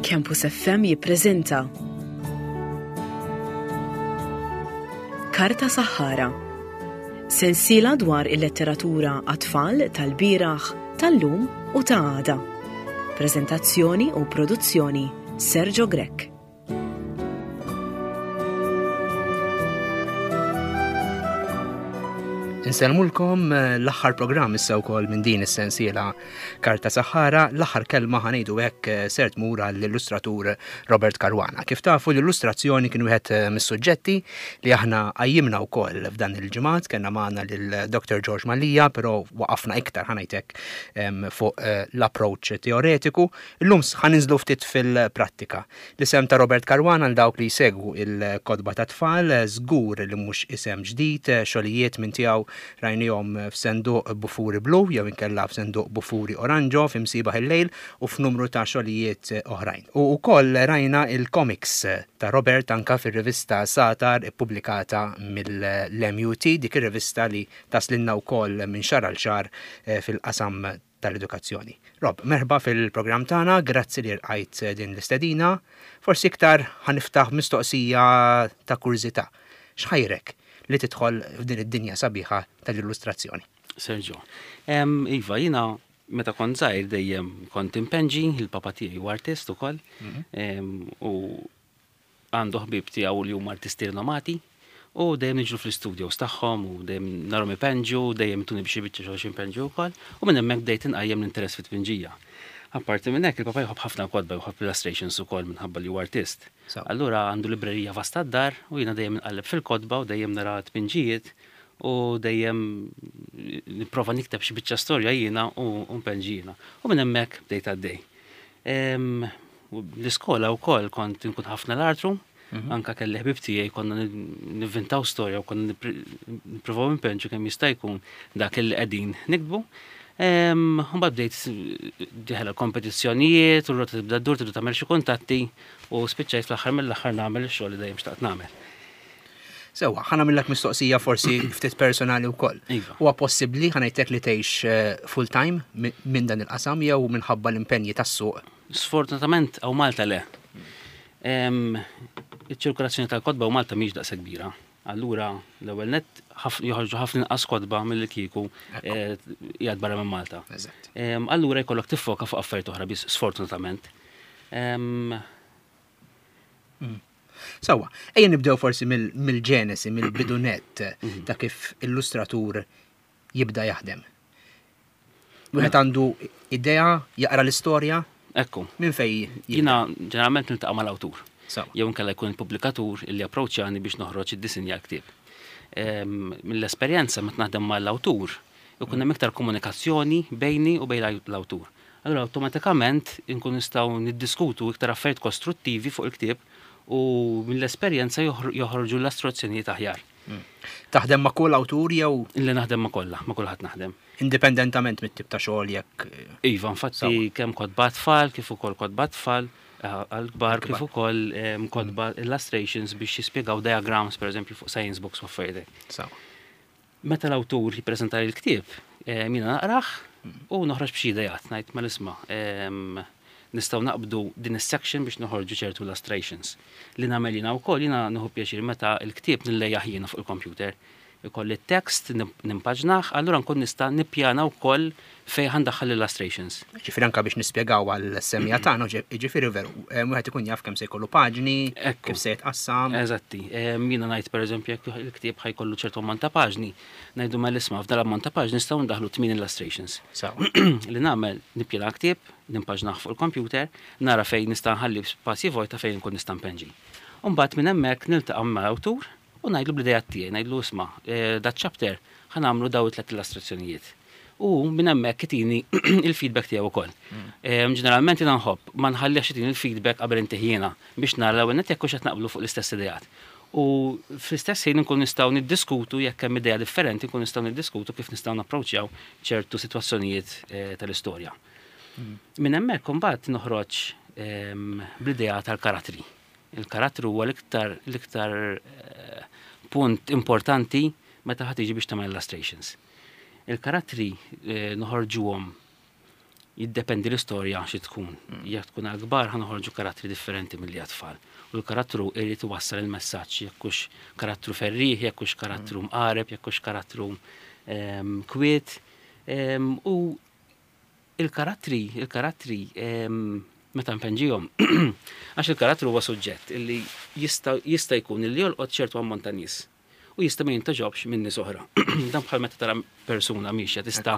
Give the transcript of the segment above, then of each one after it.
Campus FM jippreżenta Karta Saħħara. Sensiela dwar il-letteratura għat-tfal tal-bieraħ, tal-lum u ta' għada. Preżentazzjoni u produzzjoni Sergio Grech. Insellmulkom eh, l-aħħar programm issa wkoll minn din is-sensiela Karta Saħħara, l-aħħar kelma ħanejdu hekk eh, ser tmur għall-illustratur Robert Caruana. Kif tafu l-illustrazzjoni kien wieħed eh, mis-suġġetti li aħna qajjimna wkoll f'dan il-ġimgħat, kellna magħna lil Dr. George Mallia, però waqafna iktar ħanajtek fuq l-approach teoretiku. Illum ħaninżlu ftit fil-prattika. L-isem ta' Robert Caruana għal dawk li jsegwu il-kotba tat-tfal żgur li mhux isem ġdid, xogħlijiet minn tiegħu rajnihom f'senduq bufuri blu jew inkella f'senduq bufuri oranġo f'Imsiebaħ il-Lejl u f'numru ta' xogħlijiet oħrajn. U wkoll rajna il-komiks ta' Robert anka fir-rivista Sagħtar ippubblikata mill-MUT, dik ir-rivista li taslilna wkoll minn xahar għal xahar fil-qasam tal-edukazzjoni. Rob, merħba fil-programm tagħna, grazzi li rqajt din l-istedina. Forsi iktar ħa niftaħ mistoqsija ta' kurżità. X'ħajrek li tidħol f'din id-dinja sabiħa tal-illustrazzjoni? Sergio, iva, jiena meta kont żgħir dejjem kont impenġi, il-papa tiegħi huwa artist ukoll, mhm. u għandu ħbieb tiegħu li huma artisti rinomati u dejjem niġru fl-istudios tagħhom u dejjem narhom ipenġu, dejjem ituni b'xi biċċa xogħol xi npenġu wkoll u minn hemmhekk bdejt inqajjem l-interess fit-tpinġija. Apparti minn hekk il-papa jħobb ħafna kotba, jħobb illustrations ukoll minħabba li huwa artist. Allura għandu librerija vasta d-dar u jiena dejjem inqalleb fil-kotba u dejjem nara tpinġijiet u dejjem nipprova nikteb xi biċċa storja jiena u npenġi jiena. U minn hemmhekk bdejt għaddej. L-iskola wkoll kont inkun ħafna l-artru, mhm. anka kelli ħbib tiegħi konna nivvintaw storja u konna nippruvaw impenġu kemm jista' jkun dak li qegħdin niktbu. Mbagħad bdejt diħel kompetizzjonijiet u r-rota tibda ddur tibda tagħmel xi kuntatti u spiċċajt fl-aħħar mill-aħħar nagħmel ix-xogħol li dejjem xtaqt nagħmel. Sewa, ħa nagħmillek mistoqsija forsi ftit personali wkoll. Iva. Huwa possibbli ħa ngħidlek li tgħix eh, full time minn dan il-qasam jew minħabba l-impenji tas-suq? Sfortunatament hawn Malta le. Iċ-ċirkolazzjoni tal-kotba hawn Malta mhix daqshekk kbira. Allura l-ewwel nett joħorġu ħafna inqas kotba milli kieku eh, qiegħed barra minn Malta. Allura jkollok tiffoka fuq affarijiet oħra biss sfortunatament. Mm. Sewwa, ejja nibdew forsi mill-ġenesi, mill-bidu nett mhm. ta' kif illustratur jibda jaħdem. Wieħed mela. għandu idea, jaqra l-istorja. Ekku. Minn fej? Jiena ġeneralment niltaqa' mal-awtur. Jew inkella jkun il-pubblikatur illi approċċjani biex noħroġ id-disinja l-ktieb. Ehm, mill-esperjenza meta naħdem mal-awtur, ikun hemm iktar komunikazzjoni bejni u bejn l-awtur. Allura awtomatikament inkunu nistgħu niddiskutu iktar affarijiet kostruttivi fuq il-ktieb u mill-esperjenza joħorġu l-astruzzjonijiet aħjar. Hmm. Taħdem ma' kull awtur jew? Li naħdem ma' kollha, ma' kulħadd naħdem. Indipendentament mit-tip ta' xogħol jekk. Eh, iva, infatti kemm kotba tfal kif ukoll kotba tfal eh, għal-kbar kif ukoll eh, kotba hmm. illustrations biex jispjegaw diagrams pereżempju fuq science books u affarijiet. Meta l-awtur jippreżentali l-ktieb, jiena naqrah u noħroġ b'xi ideat, ngħid mela isma' nistgħu naqbdu din is-section biex noħorġu ċertu illustrations. Li nagħmel jiena wkoll, jiena nieħu pjaċir meta l-ktieb nillejjah jiena fuq il-computer. Ikolli t-text, nimpaġnah, allura nkun nista' nippjana wkoll fejn ħa ndaħħal l-illustrations. Jiġifieri anke biex nispjegaw għall-semmiegħa tagħna, jiġifieri veru, wieħed ikun jaf kemm se jkollu paġni, kif se jitqassam. Eżatti. Jiena ngħid pereżempju jekk il-ktieb ħa jkollu ċertu ammont ta' paġni, ngħidu mela isma' f'dan l-ammont ta' paġni nistgħu ndaħħlu tmien illustrations. Li nagħmel nippjana l-ktieb, nimpaġnah fuq il-computer, nara fejn nista' nħalli spazji vojta fejn inkun nista' npenġi. U mbagħad minn hemmhekk niltaqa' mal-awtur u ngħidlu bl-ideat tiegħi, ngħidlu isma' dat-chapter ħa nagħmlu dawn it-tliet illustrazzjonijiet. U minn hemmhekk itini il-feedback tiegħu wkoll. Mm. Ġeneralment jiena nħobb ma nħallihx itini il-feedback qabel intih jiena biex nara l-ewwel nett jekk hux qed naqblu fuq l-istess ideat. U fl-istess ħin inkun nistgħu niddiskutu jekk hemm idea differenti nkun nistgħu niddiskutu kif nistgħu napproċċjaw ċertu sitwazzjonijiet eh, tal-istorja. Mm. Minn hemmhekk imbagħad noħroġ ehm, bl-idea tal-karattri. Il-karattru huwa l-iktar l-iktar eh, punt importanti meta ħa tiġi biex tagħmel illustrations. Il-karattri noħorġuhom. Jiddependi l-istorja xi tkun. Jekk tkun għal kbar ħa noħorġu karattri differenti milli għat-tfal. U l-karattru irid iwassal il-messaġġ jekk hux karattru ferrieħ, jekk hux karattru mqareb, jekk hux karattru kwiet. U il-karattri, il-karattri meta npenġihom, għax il-karattru huwa suġġett illi jista' jkun illi jolqot ċertu ammont ta' nies. u jista' ma jintgħoġobx minn nies oħra. Dan bħal meta tara persuna miexja tista'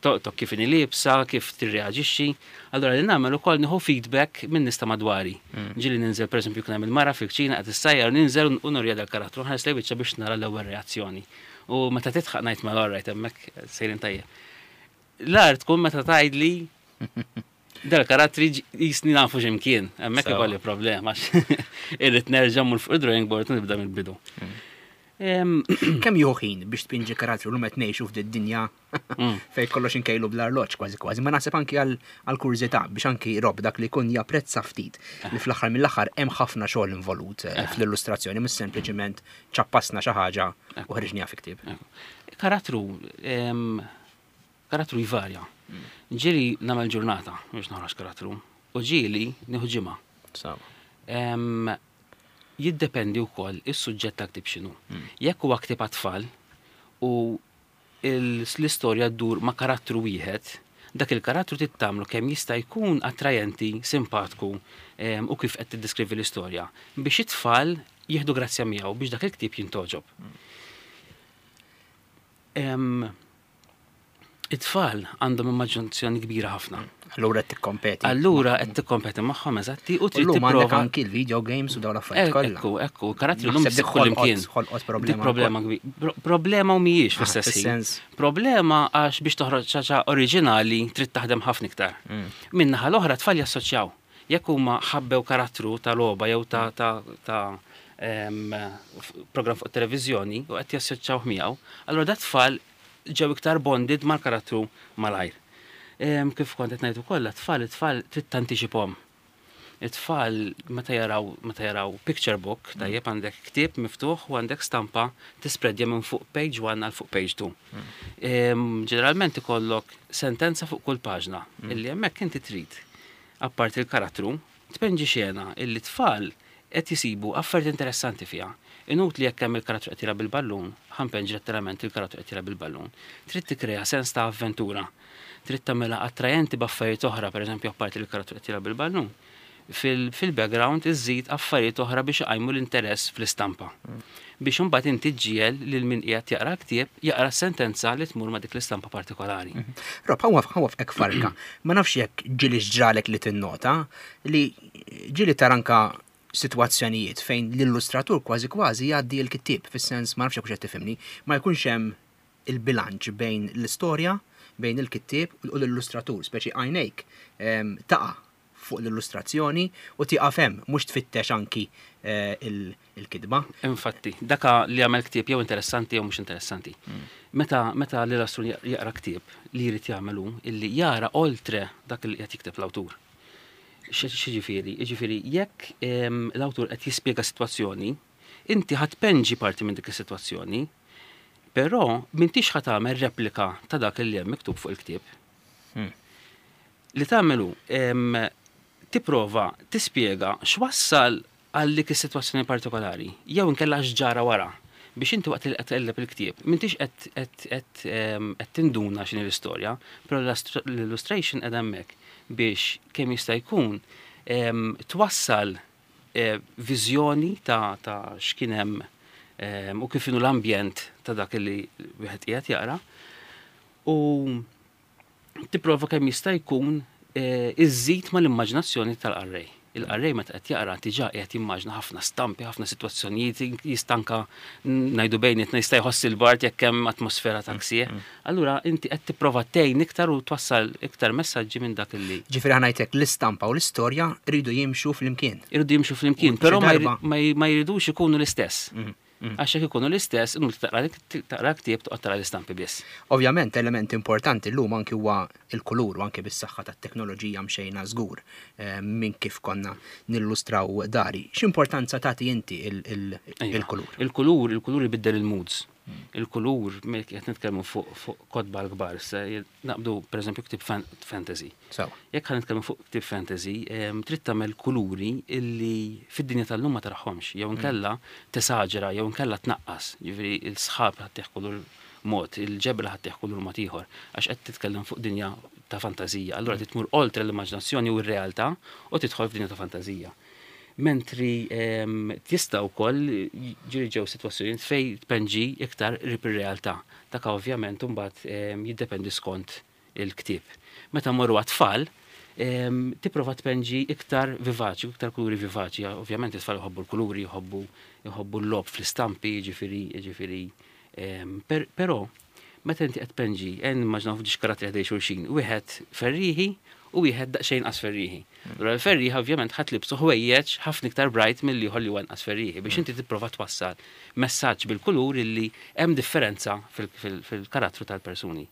tolqtok kif inhi liebsa, kif tirreaġixxi. Allura li nagħmel ukoll nieħu feedback minn nies ta' madwari. Mm. Ġieli ninżel pereżempju kien hemm il-mara fil-kċina qed issajjar ninżel u nurja dal-karattru nħares lejn wiċċha biex nara l-ewwel reazzjoni. U meta titħaq ngħid mela alright hemmhekk sejrin tajjeb. L-art tkun meta tgħidli Dal-karattri jisni nafu x'imkien, hemmhekk ikolli problema irrid nerġa' mmur fuq id-drawing board u nibda mill-bidu. Hmm. Kemm jieħu ħin biex tpinġi karattru l qed ngħixu f'din dinja hmm. fejn kollox inkejlu bl-arloġġ kważi kważi, ma naħseb anki għal kurżità biex anki rob dak li jkun japprezza ftit li eh. fl-aħħar mill-aħħar hemm ħafna xogħol involut eh, eh. fl-illustrazzjoni mhux sempliċiment ċappasna xi ħaġa u ħriġniha fi ktieb. Karattru Karattru jvarja. Ġieli nagħmel ġurnata biex noħroġ karattru u ġieli nieħu ġimgħa. Jiddependi wkoll is-suġġett ta' ktieb x'inhu. Hmm. Jekk huwa ktieb għat-tfal u l-istorja ddur ma' karattru wieħed, dak il-karattru trid tagħmlu kemm jista' jkun attrajenti, simpatku u kif qed tiddeskrivi l-istorja biex it-tfal jieħdu grazzja miegħu biex dak il-ktieb jintgħoġob. Hmm. It-tfal għandhom immaġinazzjoni kbira ħafna. Allura qed tikkompeti. Allura qed tikkompeti magħhom eżatti u trid tipprova anki l-video games u dawn l-affarijiet kollha. Ekku, ekku, karattri llum issib kull imkien. Ħolqot problema. Problema kbira. Problema u mhijiex ah, fl-istess ħin. Problema għax biex toħroġ ċaċa oriġinali trid taħdem ħafna iktar. Mm. Min-naħa l-oħra tfal jassoċjaw. Jekk huma ħabbew karattru ta' logħba jew ta' ta' program fuq televiżjoni u qed jassoċjawh miegħu, allura dat tfal ġew iktar bonded mal-karattru malajr. Kif kont qed ngħid ukoll, tfal it-tfal trid tantiċipahom. It-tfal meta jaraw meta jaraw picture book, mm. tajjeb għandek ktieb miftuħ u għandek stampa tispreadja minn fuq page 1 għal fuq page 2. Mm. Ġeneralment ikollok sentenza fuq kull paġna mm. illi hemmhekk inti trid apparti l-karattru, tpenġi xena illi tfal qed jisibu affarijiet interessanti fiha. Inutli jekk hemm il-karattru qed jilgħab bil-ballun, ħa npenġi letteralment il-karattru qed jilgħab bil-ballun. Trid tikkrea sens ta' avventura. Trid tagħmilha attrajenti b'affarijiet oħra, pereżempju apparti li l-karattru qed jilgħab bil-ballun. Fil-background iżżid affarijiet oħra biex iqajmu l-interess fl-istampa. Biex imbagħad inti ġġiegħel lil min qiegħed jaqra l-ktieb jaqra s-sentenza li tmur ma' dik l-istampa partikolari. Rob, ħa nwaffqek farka. Ma nafx jekk ġieli ġralek li tinnota li ġieli tara anka sitwazzjonijiet fejn l-illustratur kważi kważi jgħaddi l-kittieb, fis-sens ma nafx jekk qed tifhimni, ma jkunx hemm il-bilanċ bejn l-istorja, bejn il-kittieb u l-illustratur, speċi għajnejk ehm, taqa' fuq l-illustrazzjoni u tieqaf hemm, mhux tfittex anki eh, il-kitba. Infatti, daka li għamel ktieb jew interessanti jew mhux interessanti. Mm. Meta meta l-illustratur jaqra ktieb li jrid jagħmel hu illi jara oltre dak li qed jikteb l-awtur. X'jiġifieri? Jiġifieri jekk l-awtur qed jispjega sitwazzjoni, inti ħa tpenġi parti minn dik is-sitwazzjoni, però m'intix ħa tagħmel replika ta' dak li hemm miktub fuq il-ktieb. Hmm. Li tagħmel hu tipprova tispjega x'wassal għal dik is-sitwazzjoni partikolari, jew inkella x'ġara wara biex inti waqt li qed tqelleb il-ktieb m'intix qed tinduna x'inhi l-istorja, però l-illustration qiegħda hemmhekk biex kemm jista' jkun twassal eh, viżjoni ta' ta' x'kien hemm u kif inhu l-ambjent ta' dak li wieħed qiegħed jaqra. U tipprova kemm jista' jkun eh, iżżid mal-immaġinazzjoni tal-qarrej. Il-qarrej meta qed jaqra diġà qiegħed jimmaġina ħafna stampi, ħafna sitwazzjonijiet, jista' anka ngħidu bejnietna jista' jħoss il-bard jekk hemm atmosfera ta' ksieħ. Mm, mm. Allura inti qed tipprova tgħin iktar u twassal iktar messaġġi minn dak li. Ġifieri ħa ngħidlek l-istampa u l-istorja rridu jimxu flimkien. Irridu jimxu flimkien, però ma jridux ikunu l-istess. Mm. Mm. Għax jekk ikunu l-istess, inutli taqra ktieb toqgħod tara l-istampi biss. Ovvjament element importanti llum anki huwa l-kulur u anki bis-saħħa tat-teknoloġija mxejna żgur eh, minn kif konna nillustraw dari. X'importanza tagħti inti il-kulur? Il-kulur, il-kulur ibiddel il-moods. Il-kulur, qed nitkellmu fuq kotba l-kbar, naqbdu pereżempju ktieb fantasy. Jekk ħa nitkellmu fuq ktieb fantasy, trid tagħmel kuluri illi fid-dinja tal-lum ma taraħomx, jew inkella tesaġera, jew inkella tnaqqas. Ġifieri l-sħab ħa ttih kulur mod, il-ġebla ħa ttih kulur mod ieħor, għax qed titkellem fuq dinja ta' fantażija. Allura trid tmur oltre l-immaġinazzjoni u r-realtà u tidħol f'dinja ta' fantażija. Mentri tista' wkoll ġieli ġew sitwazzjonijiet fejn tpenġi iktar qrib ir-realtà. Dak ovvjament imbagħad jiddependi skont il-ktieb. Meta mmorru għat-tfal, tipprova tpenġi iktar vivaċi, iktar kuluri vivaċi. Ovvjament it-tfal jħobbu l-kuluri, jħobbu jħobbu l-logħob fl-istampi, jiġifieri jiġifieri però Meta inti qed tpenġi, ejja nimmaġinaw f'ġiex karattri ħdej xulxin, wieħed ferrieħi u wieħed daqsxejn inqas ferrieħi. Allura l-ferrieħi ovvjament ħa tlibsu ħwejjeġ ħafna iktar bright mill-ieħor li huwa inqas ferrieħi biex inti tipprova twassal messaġġ bil-kulur illi hemm differenza fil-karattru tal-persuni.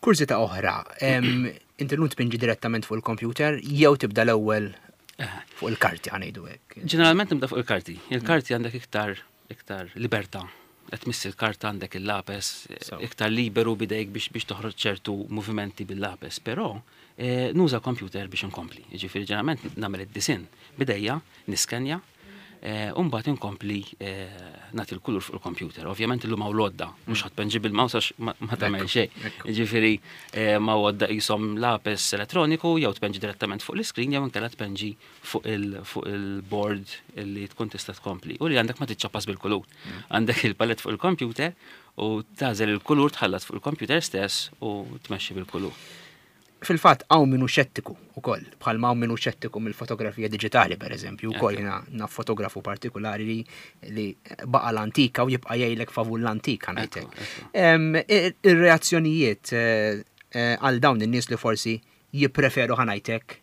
Kurżità oħra, inti llum tpinġi direttament fuq il-kompjuter jew tibda l-ewwel fuq il-karti ħa ngħidu hekk? Ġeneralment nibda fuq il-karti. Il-karti għandek iktar iktar libertà. Qed tmiss il-karta għandek il-lapes, iktar liberu bidejk biex biex toħroġ ċertu movimenti bil-lapes, però eh, nuża computer biex inkompli. Jiġifieri ġeneralment nagħmel id-disinn bidejja, niskenja, eh, u mbagħad inkompli eh, nagħti l-kulur fuq il-computer. Ovvjament illum hawn l-għodda, mhux ħadd penġi bil-mouse għax ma tagħmel xejn. Jiġifieri ma għodda qishom lapes elettroniku jew tpenġi direttament fuq l-iskrin jew inkella tpenġi fuq il-board li tkun tista' tkompli. U li għandek ma tiċċappas bil-kulur. Għandek il-palett fuq il-computer u tagħżel il-kulur tħallat fuq il-computer stess u tmexxi bil-kulur. Fil-fatt hawn min hu xettiku wkoll, bħalma hawn min hu xettiku mill-fotografija diġitali pereżempju, wkoll jiena naf fotografu partikulari li li baqa' l-antika u jibqa' jgħidlek favur l-antika ngħidlek. Ir-reazzjonijiet eh, eh, għal dawn in-nies li forsi jippreferu ħa ngħidlek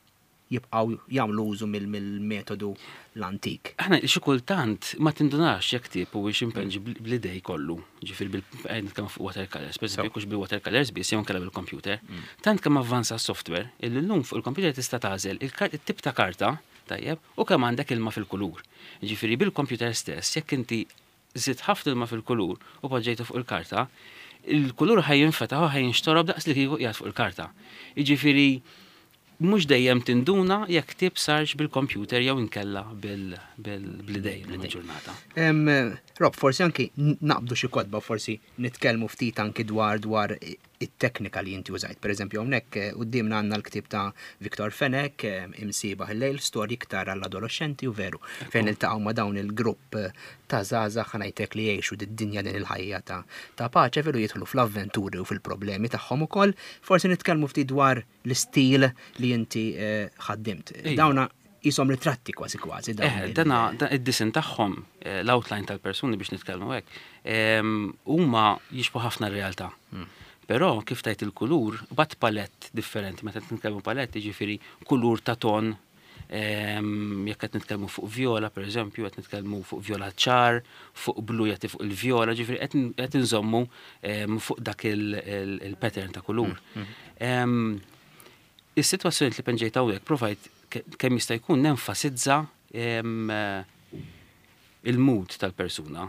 jibqgħu jagħmlu użu mill-metodu l-antik. Aħna xi kultant ma tindunax jekk ktieb huwiex impenġi bl-idej kollu, ġifieri bil nitkellmu fuq watercolors, pereżempju jekk hux bil-watercolors biss jew inkella bil-computer. Mm. Tant kemm avvanza s-software illi llum fuq il-computer tista' tagħżel it-tip ta' karta, tajjeb, u kemm għandek ilma fil-kulur. Ġifieri bil-computer stess jekk inti żidt ħafna ilma fil-kulur u poġġejtu fuq il-karta, il-kulur ħa jinfetaħ u ħa jinxtorob daqs li kieku qiegħed fuq il-karta. Jiġifieri mhux dejjem tinduna jekk ktieb sarx bil-kompjuter jew inkella bl-idejn illum il-ġurnata. Rob, forsi anki naqbdu xi kotba, forsi nitkellmu ftit anki dwar dwar it-teknika li inti użajt. Per eżempju, hawnhekk eh, quddiemna għandna l-ktieb ta' Victor Fenech, eh, Imsiebaħ il-lejl, storji iktar għall-adolescenti u veru, fejn iltaqgħu ma' dawn il-grupp eh, ta' żgħażagħ ħa ngħidlek li jgħixu did-dinja din il-ħajja ta' ta' paċe veru jidħlu fl-avventuri u fil-problemi tagħhom ukoll. Forsi nitkellmu ftit dwar l-istil li inti ħaddimt. Dawna qishom ritratti kważi kważi. Eh, dana id-disin tagħhom, eh, l-outline tal-persuni biex nitkellmu hekk, ehm, huma jixbu ħafna r-realtà. Hmm. Però kif tajt il-kulur, bat palett differenti, meta nitkellmu palett, jiġifieri kulur ta' ton, ehm, jekk qed nitkellmu fuq viola, per eżempju, qed nitkellmu fuq viola ċar, fuq blu jagħti fuq il-viola, ġifieri qed inżommu ehm, fuq dak il-pattern ta' kulur. Hmm, hmm. Is-sitwazzjonijiet li penġejt hawnhekk provajt kemm jista' jkun nenfasizza il-mood tal-persuna.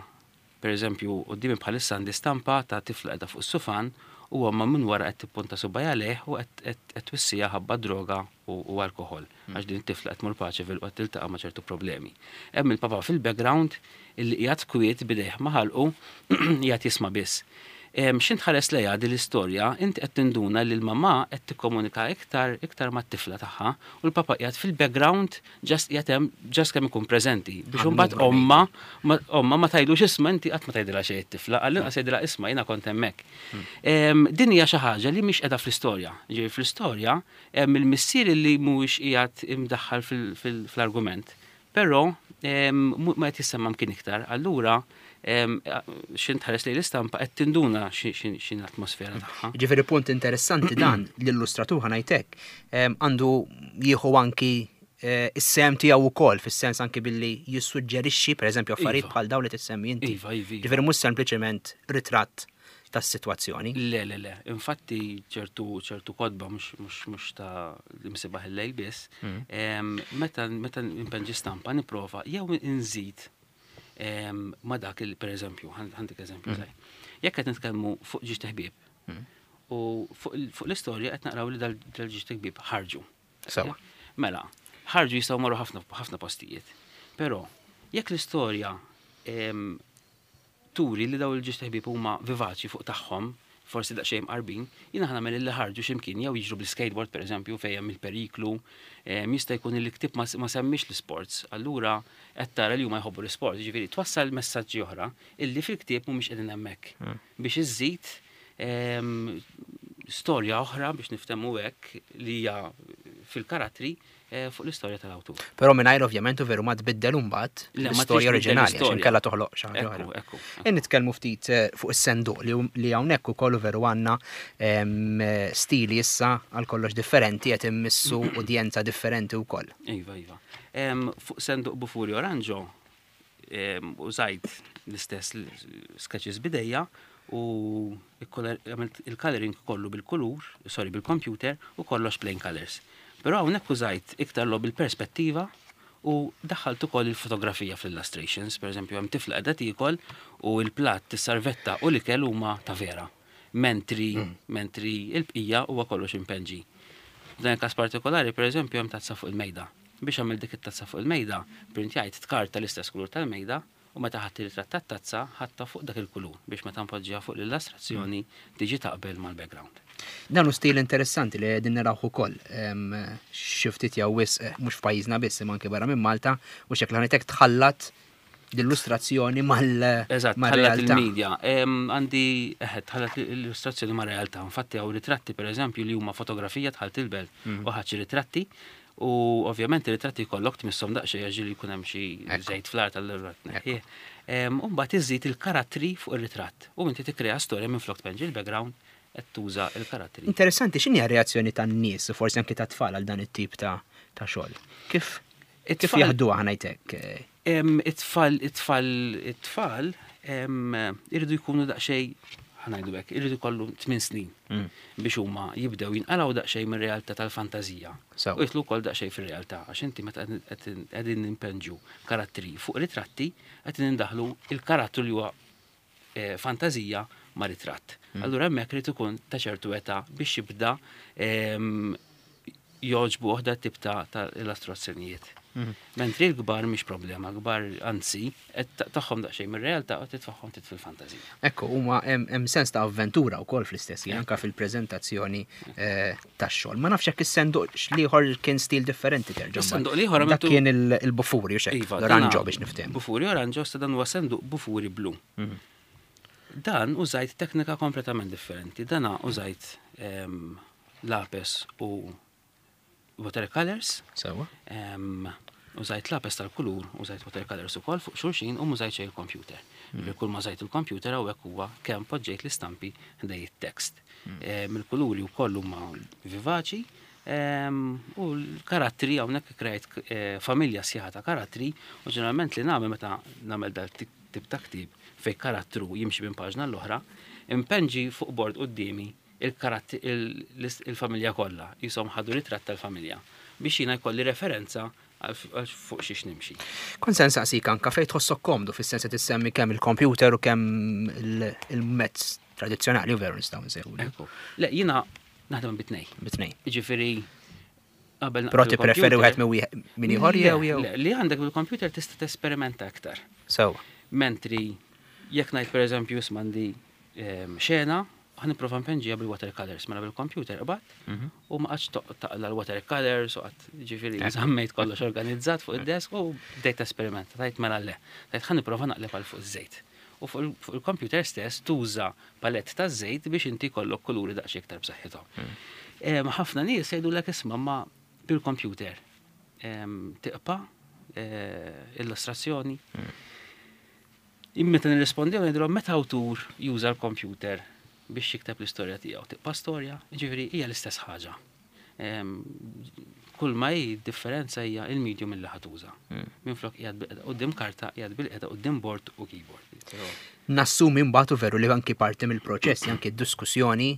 Per eżempju, quddiemi bħalissa għandi stampa ta' tifla qiegħda fuq is-sufan u ommha minn wara qed tippunta subgħajha lejh u qed twissiha ħabba droga u alkoħol għax din it-tifla qed tmur Paceville u qed tiltaqa' ma' ċertu problemi. Hemm il-papà fil-background illi qiegħed kwiet b'idejh ma' ħalqu qiegħed jisma' biss. X'int tħares lejha din l-istorja, inti qed tinduna li l-mamà qed tikkomunika iktar iktar mat-tifla tagħha u l-papà qiegħed fil-background just qiegħed hemm just kemm ikun preżenti biex imbagħad ommha ommha ma tgħidlux isma' inti qatt ma tgħidilha xejn it-tifla, għall-inqas jgħidilha isma' jiena kont hemmhekk. Din hija xi ħaġa li mhix qiegħda fl-istorja. Jiġifieri fl-istorja hemm il-missier li mhuwiex qiegħed imdaħħal fl-argument. Però ma qed jissemma mkien iktar, allura x'int tħares lejn l-istampa qed tinduna x'in l-atmosfera tagħha. Ġifieri punt interessanti dan l-illustratur ħa ngħid hekk, għandu jieħu anki eh, is-sehem tiegħu wkoll fis-sens anki billi jissuġġerixxi pereżempju affarijiet iva. bħal dawn li tissemmi inti. Iva, iva, iva. Ġifieri mhux sempliċement ritratt tas-sitwazzjoni. Le, le, le. Infatti ċertu ċertu kotba mhux ta' l-imsibaħ il-lejl biss, mm. meta meta npenġi stampa nipprova jew inżid ma dak il per eżempju, ħantik eżempju mm. Jekk qed nitkellmu fuq ġiex teħbieb mm. u fuq l-istorja qed naqraw li dal-ġiex teħbieb ħarġu. Sewa. Mela, ħarġu jistgħu marru ħafna ħafna postijiet. Però jekk l-istorja turi li dawn il-ġiex ħbieb huma vivaċi fuq tagħhom, forsi daqsxejn mqarbin, jiena ħa nagħmel li ħarġu x'imkien jew jiġru bl-skateboard pereżempju fejn hemm il-periklu, jista' jkun li l-ktieb ma semmix l-isports, allura qed tara li huma jħobbu l-isport, jiġifieri twassal messaġġi oħra illi fil-ktieb mhumiex qegħdin hemmhekk hmm. biex iżżid storja oħra biex niftehmu hekk li hija fil-karattri eh, fuq l-istorja tal-awtur. Però mingħajr ovvjament u veru ma tbiddel imbagħad l-istorja oriġinali għax inkella toħloq xi ħaġa oħra. E nitkellmu ftit eh, fuq is-senduq li hawnhekk ukoll veru għandna stili issa għal kollox differenti qed immissu udjenza differenti wkoll. Iva, iva. Fuq senduq Bufuri Oranġo użajt l-istess sketches bidejja u għamilt il-coloring kollu bil-kulur, sorry, bil-computer u kollox plain colors. Però hawnhekk użajt iktar lo bil-perspettiva u daħħalt ukoll il-fotografija fl-illustrations, per eżempju hemm tifla qiegħda tiekol u l-platt, is-sarvetta u l-ikel huma ta' vera. Mentri, mm. mentri il-bqija huwa kollox impenġi. F'dan il-każ partikolari, per eżempju, hemm tazza fuq il-mejda. Biex għamilt dik it-tazza fuq il-mejda, printjajt tkarta l-istess kulur tal-mejda u meta ħadt ir-ritratt tat-tazza ħadtha fuq dak il-kulur biex meta npoġġiha fuq l-illustrazzjoni tiġi taqbel mal-background. Dan hu stil interessanti li qegħdin narawh ukoll xi ftit jew wisq mhux f'pajjiżna biss imma anke barra minn Malta u xekk l tħallat l-illustrazzjoni mal Eżatt, tħallat il-media. Għandi, eħe, tħallat l-illustrazzjoni ma' realtà. Infatti hawn ritratti pereżempju li huma fotografija tħalt il-belt mm. u ħadd ritratti u ovvjament ir-ritratti jkollok tmisshom daqsxejn għax li jkun hemm xi żejt fl-art allura tneħħih. U mbagħad iżid il-karattri fuq ir-ritratt u inti tikkrea storja minflok tpenġi l-background qed tuża l-karattri. Interessanti, x'inhi r-reazzjoni tan-nies u forsi anki tat-tfal għal dan it-tip ta' xogħol? Kif kif jaħduha ngħidlek? It-tfal, it-tfal, it-tfal irridu jkunu daqsxejn ħanajdu hekk, irridu jkollu 8 snin mm. biex huma jibdew jinqalgħu daqsxejn mir-realtà tal-fantażija. U jitlu wkoll daqsxejn fir-realtà għax inti meta qegħdin nimpenġu karattri fuq ritratti qed indaħlu il-karattru li huwa eh, fantażija ma' ritratt. Mm. Allura hemmhekk irid ikun ta' ċertu età biex jibda jogħġbu oħda tip ta' illustrazzjonijiet. Mm. Mentri l-kbar mhix problema, l-kbar anzi, tagħhom daqsxejn mir-realtà u titfaħħom tit fil-fantażija. Ekku, huma hemm sens ta' avventura wkoll fl-istess ħin anke fil-preżentazzjoni eh, tax-xogħol. Ma nafx jekk is-senduq l-ieħor kien stil differenti terġa'. Is-senduq l-ieħor dak kien il-bufuri u xejn. Iva, l-oranġo biex niftehmu. Bufuri oranġo sa dan huwa senduq bufuri blu. Mhm. Dan użajt teknika kompletament differenti. Dana użajt ehm, lapes u watercolors. Sewa. Użajt lapes tal-kulur, użajt watercolors ukoll fuq xulxin u mużajt xejn il-computer. Mm. Kull ma żajt il-computer hawnhekk huwa kemm poġġejt l-istampi ħdej it-tekst. Mm. Il-kuluri wkoll huma vivaċi u l-karattri hawnhekk krejt eh, familja sħiħa ta' karattri u ġeneralment li nagħmel meta nagħmel dal tip ta' ktieb fejn karattru jimxi minn paġna l-oħra, impenġi fuq bord quddiemi il-familja kollha, qishom ħadu ritratt tal-familja, biex jiena jkolli referenza għal fuq xiex nimxi. Kont se nsaqsik anka fejn tħossok komdu fis-sens qed issemmi kemm il-computer u kemm il-mezz tradizzjonali u veru nistgħu nsejħu. Le, jiena naħdem bit-tnej. Bit-tnej. Jiġifieri qabel Però tippreferi wieħed minn ieħor jew jew? Li għandek bil-computer tista' tesperimenta aktar. Sewa. Mentri jekk ngħid pereżempju isma' għandi ehm, xena Ħa nipprova npenġiha bil-watercolors, mela bil-computer qbadt mhm. u ma qgħadx taqla l-watercolors u qatt ġifieri żammejt kollox organizzat fuq id-desk u bdejt esperimenta, tajt mela le. Tajt ħa nipprova naqleb għal fuq iż-żejt. U fuq il-computer stess tuża palett ta' żejt biex inti jkollok kuluri daqsxejn iktar b'saħħithom. Mm. Ħafna nies jgħidulek isma' ma bil-computer tiqpa' eh, illustrazzjoni. Mm. Meta nirrispondiw ngħidulhom meta awtur juża l-kompjuter biex jikteb l-istorja tiegħu, tibqa' storja, jiġifieri hija l-istess ħaġa. Kull ma hi differenza hija il-medium illi ħa tuża. Hmm. Minflok qiegħed bilqiegħda quddiem karta, qiegħed bilqiegħda quddiem board u keyboard. Nassumi mbagħad u veru li anki parti mill-proċess, anki d-diskussjoni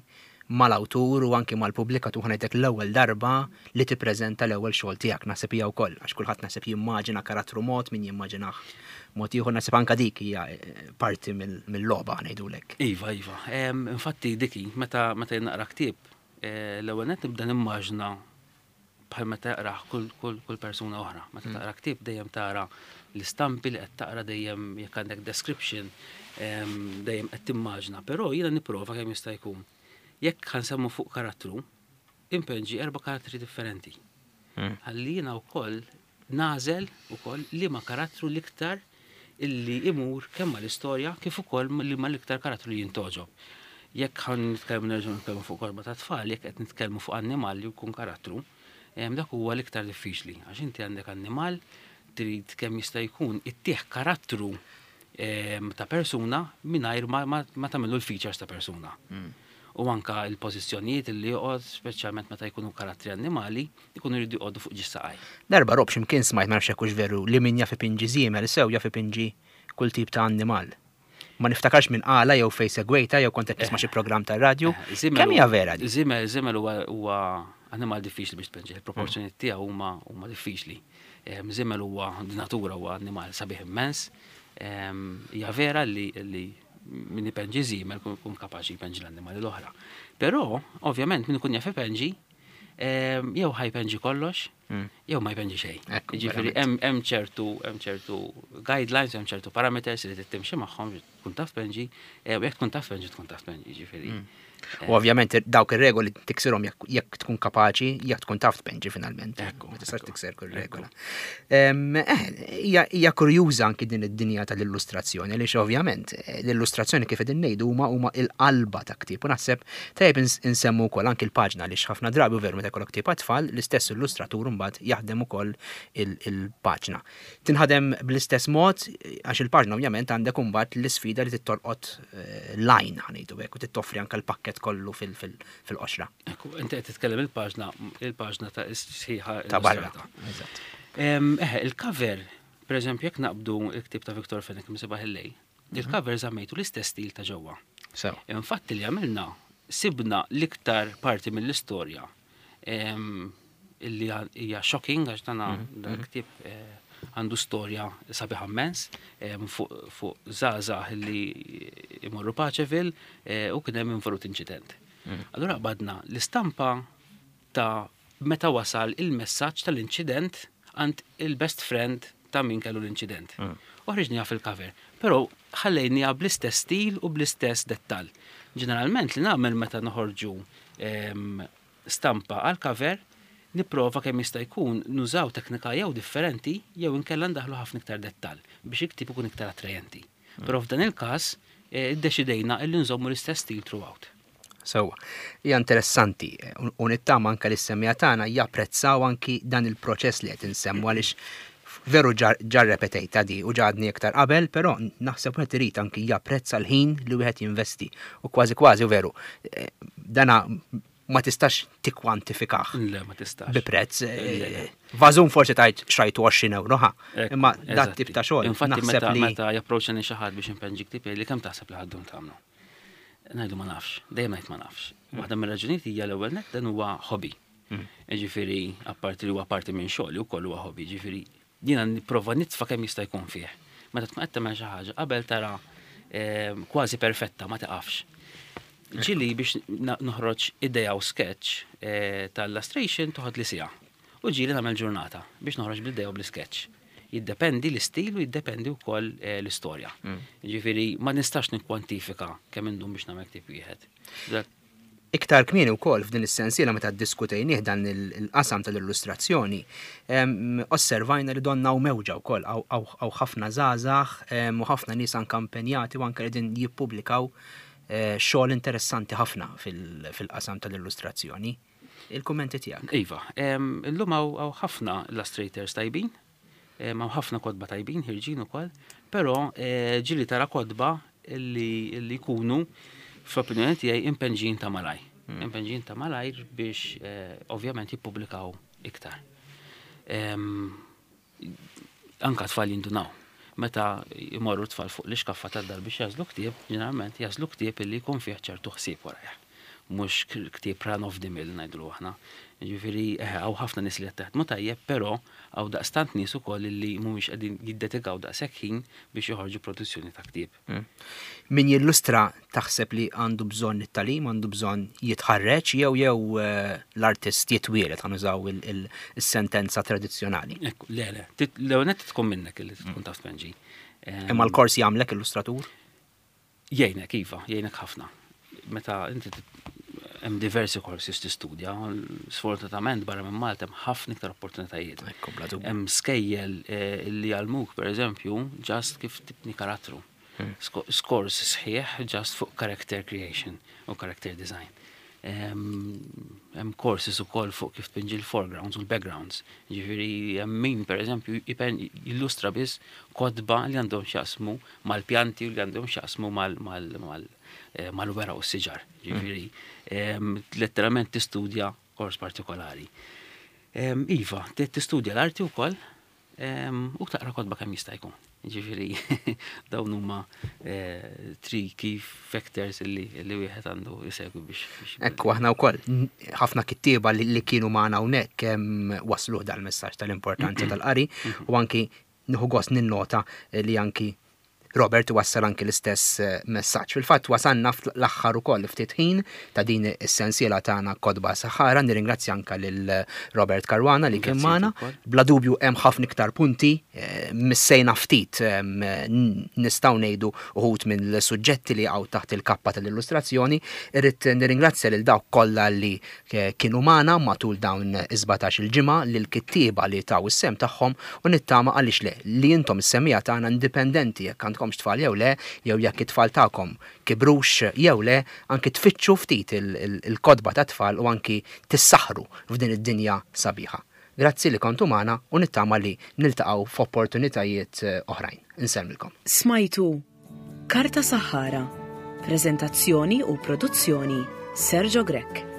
mal-awtur u anki mal-pubblikatur ħa ngħidlek l-ewwel darba li tippreżenta l-ewwel xogħol tiegħek naħseb hija wkoll għax kulħadd naħseb jimmaġina karattru mod min jimmaġinah mod ieħor naħseb anke dik hija eh, parti mill-logħba ngħidulek. Iva, iva. Infatti diki meta meta naqra ktieb eh, l-ewwel nett nibda nimmaġina bħal meta jaqrah kull, kull, kull persuna oħra. Meta mm. taqra ktieb dejjem tara l-istampi li qed taqra dejjem jekk għandek description dejjem qed timmaġna, però jiena nipprova kemm jista' jkun. Jekk ħansemmu fuq karattru, impenġi erba' karattri differenti. Mm. Ħalli jiena wkoll nagħżel ukoll liema karattru l-iktar illi imur kemm mal-istorja kif ukoll liema l-iktar karattru li jintgħoġob. Jekk ħa nitkellmu nerġgħu nitkellmu fuq kotba ta' tfal, jekk qed nitkellmu fuq annimal li jkun karattru, dak huwa l-iktar diffiċli għax inti għandek annimal trid kemm jista' jkun ittih karattru ta' persuna mingħajr ma tagħmillu l-features ta' persuna. U anka l-pożizzjonijiet li joqgħod, speċjalment meta jkunu karattri annimali, ikunu jridu joqogħdu fuq ġis saqaj. Darba Rob x'imkien smajt ma nafx jekk hux veru li min jaf ipinġi żiemel sew jaf ipinġi kull tip ta' annimal. Ma niftakarx min qalha jew fejn segwejtha jew kont qed nisma' xi programm tar-radju. Kemm hija vera din? Żiemel żiemel huwa annimal diffiċli biex tpinġih, il-proporzjonijiet tiegħu huma huma diffiċli. Żiemel huwa di natura huwa annimal sabiħ immens. Hija vera li li min ipenġi żiemel kun kapaċi jpenġi l-annimali l-oħra. Però, ovvjament, min ikun jaf ipenġi, jew ħa jpenġi kollox, hmm. jew ma jpenġi xejn. Ġifieri hemm ċertu hemm ċertu guidelines, hemm ċertu parameters li trid timxi magħhom tkun taf penġi, eh, u jekk tkun taf penġi tkun taf penġi, ġifieri. Hmm. U ovvjament dawk ir-regoli tiksirhom jekk tkun kapaċi, jekk tkun taf tpenġi finalment. Ma tistax tikser kull regola. Eh, hija kurjuża anki din id-dinja tal-illustrazzjoni, għaliex ovvjament eh, l-illustrazzjoni kif qegħdin ngħidu huma huma il-qalba ta' ktieb u naħseb tajjeb insemmu wkoll anki l-paġna għaliex ħafna drabi u veru meta jkollok ktieb għat-tfal l-istess illustratur mbagħad jaħdem ukoll il-paġna. Tinħadem bl-istess mod għax il-paġna ovvjament għandek imbagħad l-isfida li titolqot eh, l-għajn ħanejdu hekk u tittoffri anke l-pakkett kollu fil-qoxra. Ekku, inti qed titkellem il-paġna, il-paġna ta' sħiħa ta' barra. Eżatt. Eh, il-cover, per eżempju, jekk naqbdu il-ktib ta' Victor Fenech Msibaħ il-lejl, mhm. il-cover żammejtu l-istess stil ta' ġewwa. Infatti li għamilna, sibna l-iktar parti mill-istorja illi hija shocking għax dana mhm, dan mhm. ktieb eh, għandu storja sabiħa immens fuq żgħażagħ li imorru Paċeville eh, u kien hemm involut inċident. Mhm. Allura qbadna l-istampa ta' meta wasal il-messaġġ tal-inċident għand il-best friend ta' min kellu l-inċident. U ħriġniha fil-cover. Però ħallejniha bl-istess stil u bl-istess dettall. Ġeneralment li nagħmel meta noħorġu stampa għal cover, nipprova kemm jista' jkun nużaw teknika jew differenti jew inkella ndaħħlu ħafna iktar dettall biex il-ktieb ikun iktar attrajenti. Però f'dan il-każ eh, iddeċidejna illi nżommu l-istess stil throughout. Sewwa. Hija interessanti u nittama anke li s-semmiegħa tagħna japprezzaw anki dan il-proċess li qed insemmu għaliex veru ġa rrepetejtha di u ġa għadni iktar qabel, però naħseb wieħed irid anki japprezza l-ħin li wieħed jinvesti u kważi kważi u veru dana ma tistax tikkwantifikah. Le, ma tistax. Bi prezz. Vażun forsi tajt xrajtu 20 euro, ha. Imma dat tip ta' xogħol. Infatti meta meta japproċċani xi ħadd biex inpenġi ktieb li kemm taħseb li ħaddum tagħmlu. Ngħidu ma nafx, dejjem ngħid ma nafx. Waħda mir-raġunijiet hija l-ewwel nett dan huwa hobby. Mm. Ġifieri, apparti li huwa parti minn xogħli wkoll huwa hobby, ġifieri jiena nipprova nitfa' kemm jista' jkun fih. Meta tkun qed tagħmel xi ħaġa qabel tara ehm, kważi perfetta ma tiqafx. Ġili biex noħroġ idea u sketch eh, tal-illustration toħod li sija. U ġieli nagħmel ġurnata biex noħroġ bl-idea u bl-isketch. Jiddependi l-istil u jiddependi wkoll eh, l-istorja. Mm. Ġifieri ma nistax nikkwantifika kemm indum biex nagħmel ktieb wieħed. Iktar kmieni wkoll f'din is-sensiela meta ddiskutejnieh dan il-qasam tal-illustrazzjoni, osservajna li donna hawn mewġa wkoll, hawn ħafna żgħażagħ u ħafna nies anke impenjati u anke qegħdin jippubblikaw eh, xogħol interessanti ħafna fil-qasam tal-illustrazzjoni. Il-kummenti tiegħek. Iva, illum hawn ħafna illustrators tajbin, hawn ħafna kotba tajbin ħirġin ukoll, però eh, ġili tara kotba li jkunu fl-opinjoni tiegħi impenġin ta' malaj. Hmm. Impenġin ta' malajr biex eh, ovvjament jippubblikaw iktar. Anka tfal jindunaw. Meta jmorru tfal fuq l-ixkaffa tad-dar biex jażlu ktieb, ġeneralment jażlu ktieb illi jkun fih ċertu ħsieb warajh. Mhux ktieb run of the mill ngħidulu aħna. Jiġifieri eħe hawn ħafna nies li qed jaħdmu tajjeb, però hawn daqstant nies ukoll li mhumiex qegħdin jiddedikaw daqshekk ħin biex joħorġu produzzjoni ta' ktieb. Hmm. Min jillustra taħseb li għandu bżonn it-tagħlim, għandu bżonn jitħarreġ jew jew eh, l-artist jitwielet ħa nużaw il-sentenza tradizzjonali. Ekku, le, le, l-ewwel nett tkun minnek li tkun taf tpenġi. Imma l-kors jagħmlek illustratur? Jgħinek, iva, jgħinek ħafna. Meta inti hemm diversi korsi tistudja, sfortunatament barra minn Malta hemm ħafna iktar opportunitajiet. Hemm skejjel eh, li jgħallmuk pereżempju ġast kif tibni karattru. Hmm. Skors sħiħ ġast fuq character creation u character design. Hemm courses ukoll fuq kif tpinġi l-foregrounds u l-backgrounds. Ġifieri hemm min pereżempju jillustra biss kotba li għandhom x'jaqsmu mal-pjanti u li għandhom x'jaqsmu eh, mal-wera u s-siġar. Ġifieri letteralment tistudja kors partikolari. Iva, tistudja l-arti wkoll, U taqra kotba kemm jista' jkun. Ġifieri dawn huma eh, three key factors li li wieħed għandu jsegwi biex. Ekku aħna wkoll ħafna kittieba li kienu magħna hawnhekk kemm wasluh dal-messaġġ tal-importanza tal-qari u anki nieħu gost ninnota li anki Robert iwassal anki l-istess messaġġ. Fil-fatt wasalna fl-aħħar ukoll ftit ħin ta' din is-sensiela tagħna Kotba Saħħara. Nirringrazzja anke lil Robert Caruana li kien magħna. Bla dubju hemm ħafna iktar punti, missejna ftit nistgħu ngħidu uħud mill-suġġetti li jaqgħu taħt il-kappa tal-illustrazzjoni. Irrid nirringrazzja lil dawk kollha li kienu magħna matul dawn is-17-il ġimgħa, lill-kittieba li taw is-sehem tagħhom u nittama għaliex le, li intom is-semmiegħa tagħna indipendenti jekk għandkomx tfal jew le, jew jekk it-tfal tagħkom kibrux jew le, anki tfittxu ftit il-kotba tat-tfal u anki tissaħħru f'din id-dinja sabiħa. Grazzi li kontu magħna u nittama li niltaqgħu f'opportunitajiet oħrajn. Insellmilkom. Smajtu Karta Saħħara, preżentazzjoni u produzzjoni Sergio Grech.